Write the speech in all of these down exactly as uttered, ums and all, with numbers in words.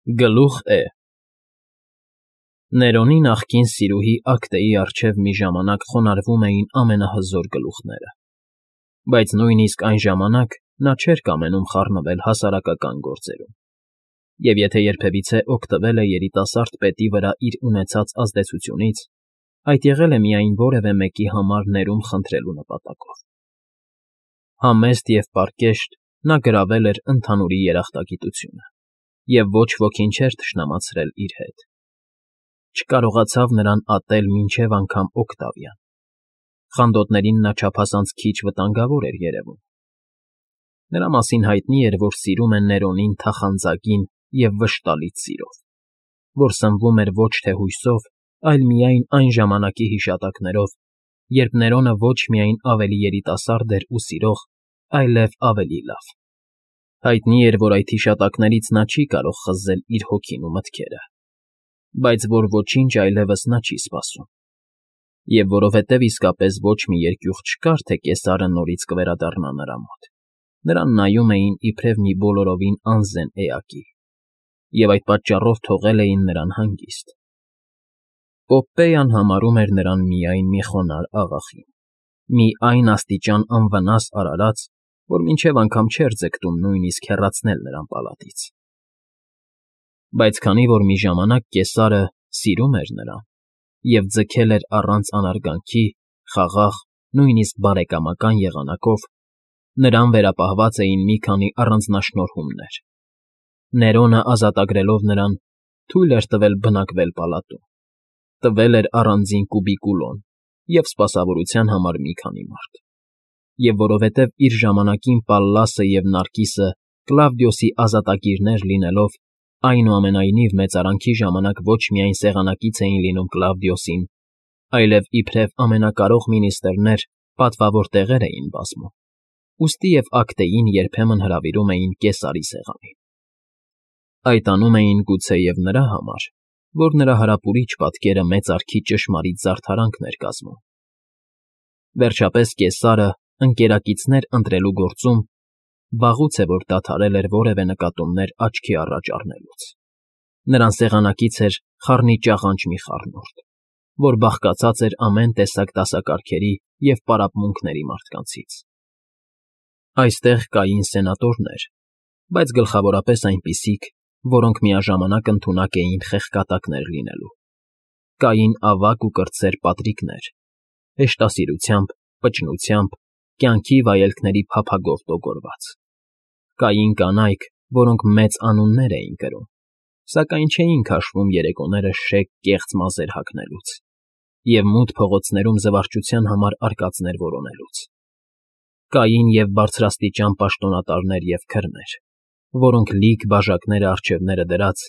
Գլուխ Է Ներոնի նախկին սիրուհի Ակտեի առջև մի ժամանակ խոնարհվում էին ամենահզոր գլուխները, բայց նույնիսկ այն ժամանակ նա չէր կամենում խառնվել հասարակական գործերում, և եթե երբևիցե օգտվել է երիտասարդ պետի վրա իր ունեցած ազդեցությունից, այդ եղել է միայն որևէ մեկի համար ներում խնդրելու նպատակով։ Համեստ և պարկեշտ նա գրավել էր ընդհանուրի երախտագիտությունը և ոչ ոքին չէր թշնամացրել իր հետ։ Չկարողացավ նրան ատել մինչև անգամ Օկտավիան։ Խանդոտներին նա չափազանց քիչ վտանգավոր էր երևում։ Նրա մասին հայտնի էր, որ սիրում է Ներոնին թախանձագին և վշտալից սիրով, որ սնվում էր ոչ թե հույսով, այլ միայն այն ժամանակի հիշատակներով, երբ Ներոնը ոչ միայն ավելի երիտասարդ էր ու սիրող, այլև ավելի լավ։ Հայտնի էր, որ այդ հիշատակներից նա չի կարող խզել իր հոգին ու մտքերը, բայց որ ոչինչ այլևս նա չի սպասում։ Եվ որովհետև իսկապես ոչ մի երկյուղ չկար, թե կեսարը նորից կվերադառնա նրա մոտ, նրան նայում էին իբրև մի բոլորովին անզեն էակի, և այդ պատճառով թողել էին նրան հանգիստ։ Պոպպեյան համարում էր նրան միայն մի խոնարհ աղախին, մի այն աստիճան անվնաս արարած, որ մինչև անգամ չէր ձգտում նույնիսկ հեռացնել նրան պալատից։ Բայց քանի որ մի ժամանակ կեսարը սիրում էր նրան և ձգել էր առանց անարգանքի, խաղաղ, նույնիսկ բարեկամական եղանակով, նրան վերապահված էին մի քանի առանձնաշնորհումներ։ Ներոնը ազատագրելով նրան՝ թույլ էր տվել բնակվել պալատում, տվել էր առանձին կուբիկուլոն և սպասավորության համար մի քանի մարդ, և որովհետև իր ժամանակին Պալլասը և Նարկիսը Կլավդիոսի ազատագիրներ լինելով, այնուամենայնիվ մեծարանքի ժամանակ ոչ միայն սեղանակից էին լինում Կլավդիոսին, այլև իբրև ամենակարող մինիստրներ պատվավոր տեղեր էին բազմում, ուստի և Ակտեին երբեմն հրավիրում էին կեսարի սեղանին։ Այդ անում էին գուցեև նրա համար, որ նրա հարապուրիչ պատկերը մեծարգի ճշմարիտ զարդարանքն էր կազմում։ Վերջապես կեսարը ընկերակիցներ ընտրելու գործում վաղուց է որ դադարել էր որևէ նկատումներ աչքի առաջ առնելուց։ Նրան սեղանակից էր խառնիճաղանճ մի խառնուրդ, որ բաղկացած էր ամեն տեսակ դասակարգերի և պարապմունքների մարդկանցից։ Այստեղ կային սենատորներ, բայց գլխավորապես այնպիսիք, որոնք միաժամանակ ընդունակ էին խեղկատակներ լինելու։ Կային ավագ ու կրտսեր պատրիկներ, հեշտասիրությամբ, պճնությամբ, կյանքի վայելքների փափագով տոգորված։ Կային կանայք, որոնք մեծ անուններ էին կրում, սակայն չէին քաշվում երեկոները շեկ կեղծ մազեր հագնելուց և մութ փողոցներում զվարճության համար արկածներ որոնելուց։ Կային և բարձրաստիճան պաշտոնատարներ և քրներ, որոնք լիք բաժակները առջևները դրած,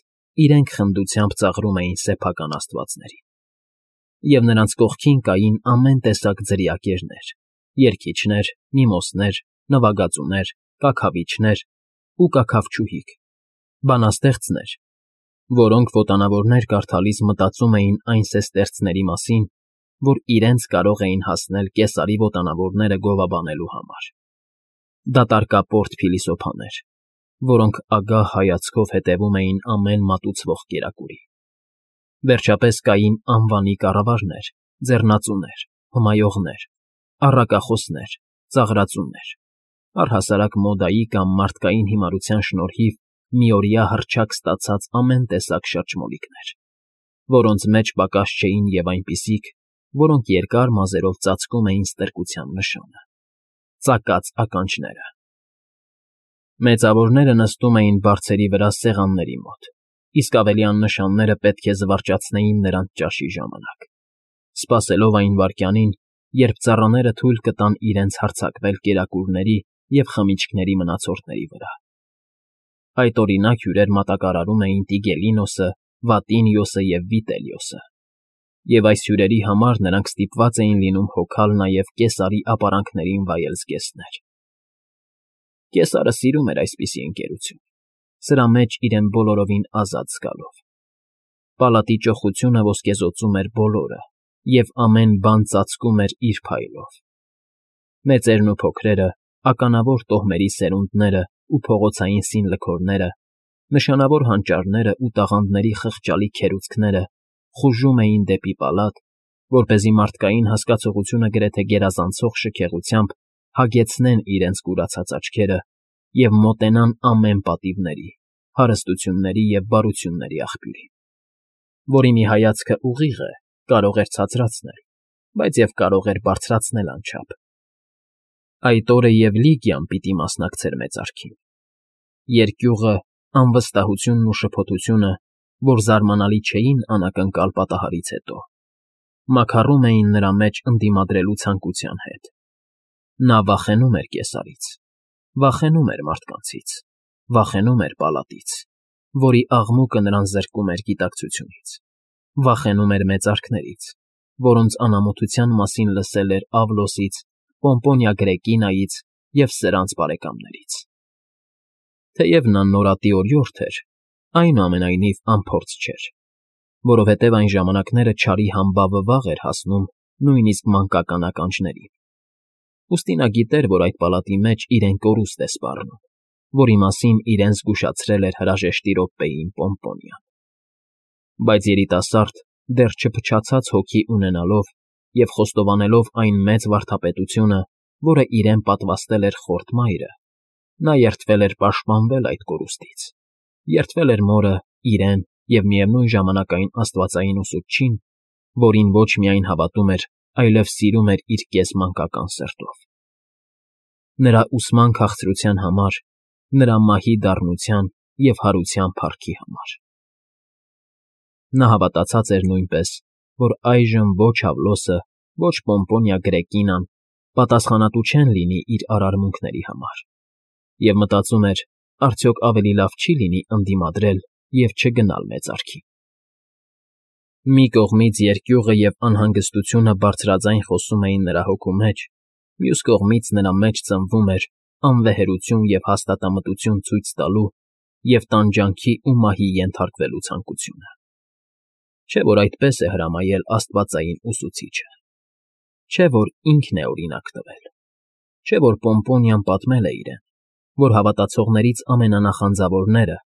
իրենք խնդությամբ ծաղրում էին սեփական աստվածներին։ Եվ նրանց կողքին կային ամեն տեսակ ձրիակերներ, երգիչներ, միմոսներ, նվագածուներ, կաքավիչներ ու կաքավչուհիք, բանաստեղծներ, որոնք ոտանավորներ կարդալիս մտածում էին այն սեսթերցների մասին, որ իրենց կարող էին հասնել կեսարի ոտանավորները գովաբանելու համար, դատարկապորտ փիլիսոփաներ, որոնք ագահ հայացքով հետևում էին ամեն մատուցվող կերակուրի։ Վերջապես կային անվանի կառավարներ, ձեռնածուներ, հմայողներ, առակախոսներ, ծաղրածուներ, առհասարակ մոդայի կամ մարդկային հիմարության շնորհիվ միօրյա հռչակ ստացած ամեն տեսակ շրջմոլիկներ, որոնց մեջ պակաս չէին և այնպիսիք, որոնք երկար մազերով ծածկում էին ստրկության նշանը՝ ծակած ականջները։ Մեծավորները նստում էին բարձերի վրա սեղանների մոտ, իսկ ավելի աննշանները պետք է զվարճացնեին նրանց ճաշի ժամանակ, սպասելով այն վայրկյանին, երբ ծառաները թույլ կտան իրենց հարձակվել կերակուրների և խմիչքների մնացորդների վրա։ Այդօրինակ հյուրեր մատակարարում էին Տիգելինոսը, Վատինիոսը և Վիտելիոսը, և այս հյուրերի համար նրանք ստիպված էին լինում հոգալ նաև կեսարի ապարանքներին վայել զգեստներ։ Կեսարը սիրում էր այսպիսի ընկերություն, սրա մեջ իրեն բոլորովին ազատ զգալով։ Պալատի ճոխությունը ոսկեզօծում էր բոլորը, և ամեն բան ծածկում էր իր փայլով։ Մեծերն ու փոքրերը, ականավոր տոհմերի սերունդներն ու փողոցային սին լքորները, Նշանավոր հանճարները ու տաղանդների խղճալի քերուծքները խուժում էին դեպի պալատ, որպեսզի մարդկային հասկացողությունը գրեթե գերազանցող շքեղությամբ հագեցնեն իրենց կուրացած աչքերը և մոտենան ամեն պատիվների, հարստությունների և բարությունների աղբյուրին, որի մի հայացքը ուղիղ է, կարող էր ցածրացնել, բայց և կարող էր բարձրացնել անչափ։ Այդ օրը և Լիգիան պիտի մասնակցեր մեծարքին։ Երկյուղը, անվստահությունն ու շփոթությունը, որ զարմանալի չէին անակնկալ պատահարից հետո, մաքարում էին նրա մեջ ընդդիմադրելու ցանկության հետ։ Նա վախենում էր կեսարից, վախենում էր մարդկանցից, վախենում էր պալատից, որի աղմուկը նրան զրկում էր գիտակցությունից, վախենում էր մեծարքներից, որոնց անամոթության մասին լսել էր Ավլոսից, Պոմպոնիա Գրեկինայից և սրանց բարեկամներից։ Թեև նա նորատի օրիորդ էր, այնուամենայնիվ անփորձ չէր, որովհետև այն ժամանակները չարի համբավը վաղ էր հասնում նույնիսկ մանկական ականջներին։ Ուստի նա գիտեր, որ այդ պալատի մեջ իրեն կորուստ է սպառնում, որի մասին իրեն զգուշացրել էր հրաժեշտի րոպեին Պոմպոնիան։ Բայց երիտասարդ, դեռ չփչացած հոգի ունենալով և խոստովանելով այն մեծ վարդապետությունը, որը իրեն պատվաստել էր խորտ մայրը, նա երդվել էր պաշտպանվել այդ կորուստից, երդվել էր մորը, իրեն և միևնույն ժամանակ այն աստվածային ուսուցչին, որին ոչ միայն հավատում էր, այլև սիրում էր իր կես֊մանկական սրտով։ Նրա ուսման քաղցրության համար, նրա մահի դառնության և հարության փառքի համար։ Նա հավատացած էր նույնպես, որ այժմ ոչ Ավլոսը, ոչ Պոմպոնիա Գրեկինան պատասխանատու չեն լինի իր արարմունքների համար, և մտածում էր, արդյոք ավելի լավ չի լինի ընդդիմադրել և չգնալ մեծարքին։ Մի կողմից երկյուղը և անհանգստությունը բարձրաձայն խոսում էին նրա հոգու մեջ, մյուս կողմից նրա մեջ ծնվում էր անվեհերություն և հաստատամտություն ցույց տալու և տանջանքի ու մահի ենթարկվելու ցանկությունը։ Չէ՞ որ այդպես է հրամայել աստվածային ուսուցիչը։ Չէ՞ որ ինքն է օրինակ տվել։ Չէ՞ որ Պոմպոնիան պատմել է իրեն, որ հավատացողներից ամենանախանձավորները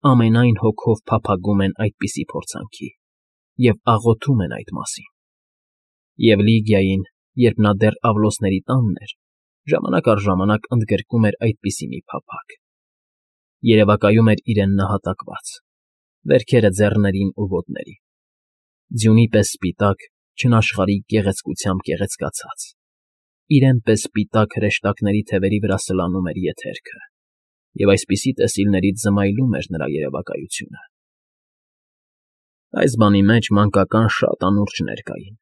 ամենայն հոգով փափագում են այդպիսի փորձանքի և աղոթում են այդ մասին։ Եվ Լիգիային, երբ նա դեռ Ավլոսների տանն էր, ժամանակ առ ժամանակ ընդգրկում էր այդպիսի մի փափագ. երևակայում էր իրեն նահատակված, վերքերը ձեռներին ու ոտներին, ձյունի պես սպիտակ, չնաշխարհիկ գեղեցկությամբ գեղեցկացած, իրեն պես սպիտակ հրեշտակների թևերի վրա սլանում էր եթերքը, և այսպիսի տեսիլներից զմայլում էր նրա երևակայությունը։ Այս բանի մեջ մանկական շատ անուրջներ կային,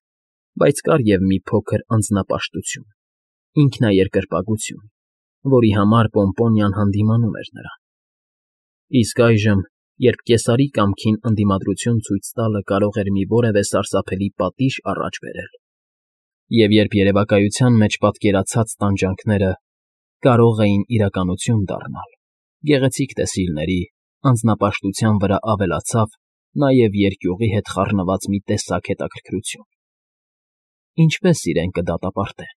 բայց կար և մի փոքր անձնապաշտություն, ինքնաերկրպագություն, որի համար Պոմպոնիան հանդիմանում էր նրան։ Իսկ այժմ, երբ կեսարի կամքին ընդդիմադրություն ցույց տալը կարող էր մի որևէ սարսափելի պատիժ առաջ բերել, և երբ երևակայության մեջ պատկերացած տանջանքները կարող էին իրականություն դառնալ, գեղեցիկ տեսիլների, անձնապաշտության վրա ավելացավ նաև երկյուղի հետ խառնված մի տեսակ հետաքրքրություն։ Ինչպե՞ս իրեն կդատապարտեն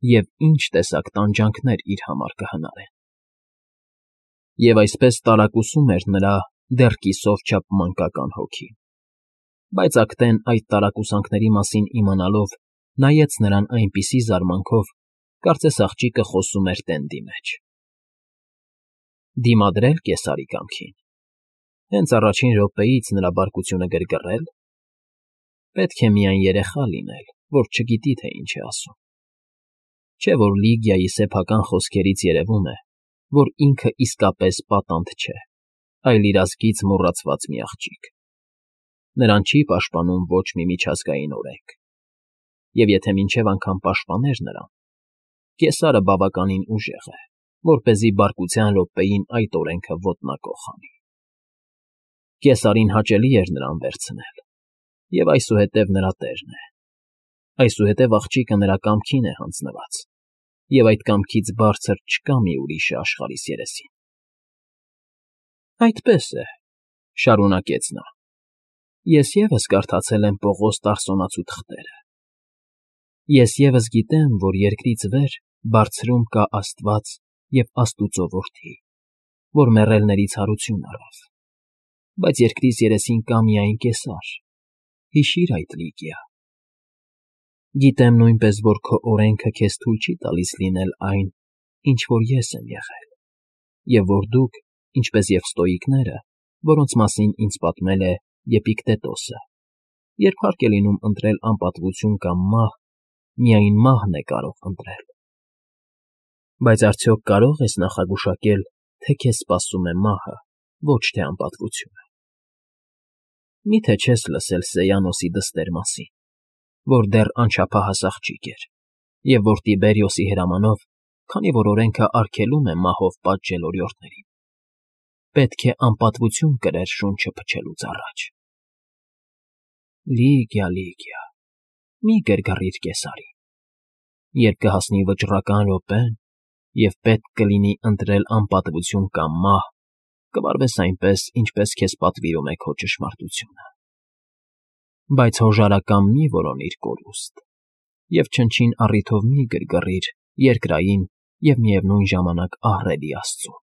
և ինչ տեսակ տանջանքներ իր համար կհնարեն։ Եվ այսպես տարակուսում էր նրա դեռ կիսով չափ մանկական հոգին։ Բայց Ակտեն այդ տարակուսանքների մասին իմանալով նայեց նրան այնպիսի զարմանքով, կարծես աղջիկը խոսում էր տենդի մեջ։ Դիմադրե՞լ կեսարի կամքին։ Հենց առաջին րոպեից նրա բարկությունը գրգռե՞լ։ Պետք է միայն երեխա լինել, որ չգիտի, թե ինչ է ասում։ Չէ՞ որ Լիգիայի սեփական խոսքերից երևում է, որ ինքը իսկապես պատանդ չէ, այլ իր ազգից մոռացված մի աղջիկ։ Նրան չի պաշտպանում ոչ մի միջազգային օրենք։ Եվ եթե մինչև անգամ պաշտպաներ նրան, կեսարը բավականին ուժեղ է, որպեսզի բարկության րոպեին այդ օրենքը ոտնակոխ անի։ Կեսարին հաճելի էր նրան վերցնել, և այսուհետև նրա տերն է։ Այսուհետև աղջիկը նրա կամքին է հանձնված, և այդ կամքից բարձր չկա մի ուրիշը աշխարհիս երեսին։ Այդպես է,֊ շարունակեց նա,֊ ես ևս կարդացել եմ Պողոս Տարսոնացու թղթերը։ Ես ևս գիտեմ, որ երկրից վեր, բարձրում կա Աստված և Աստուծո Որդի, որ մեռելներից հարություն առավ, բայց երկրից երեսին կա միայն կեսար, հիշիր այդ, Լիգիա։ Գիտեմ նույնպես, որ քո օրենքը քեզ թույլ չի տալիս լինել այն, ինչ որ ես եմ եղել, և որ դուք, ինչպես և ստոիկները, որոնց մասին ինձ պատմել է Եպիկտետոսը, երբ հարկ է լինում ընտրել անպատվություն կամ մահ, միայն մահն է կարող ընտրել։ Բայց արդյոք կարո՞ղ ես նախագուշակել, թե քեզ սպասում է մահը, ոչ թե անպատվությունը։ Մի՞թե չես լսել Սեյանոսի դստեր մասին, որ դեռ անչափահաս աղջիկ էր, և որ Տիբերիոսի հրամանով, քանի որ օրենքը արգելում է մահով պատժել օրիորդներին, պետք է անպատվություն կրեր շունչը փչելուց առաջ։ Լիգիա, Լիգիա, մի գրգռիր կեսարին։ Երբ կհասնի վճռական րոպեն, և պետք կլինի ընտրել անպատվություն կամ մահ, կվարվես այնպես, ինչպես քեզ պատվիրում է քո ճշմարտությունը։ Բայց հոժարակամ մի՛ որոնիր կորուստ և չնչին առիթով մի՛ գրգռիր երկրային և միևնույն ժամանակ ահռելի աստծուն։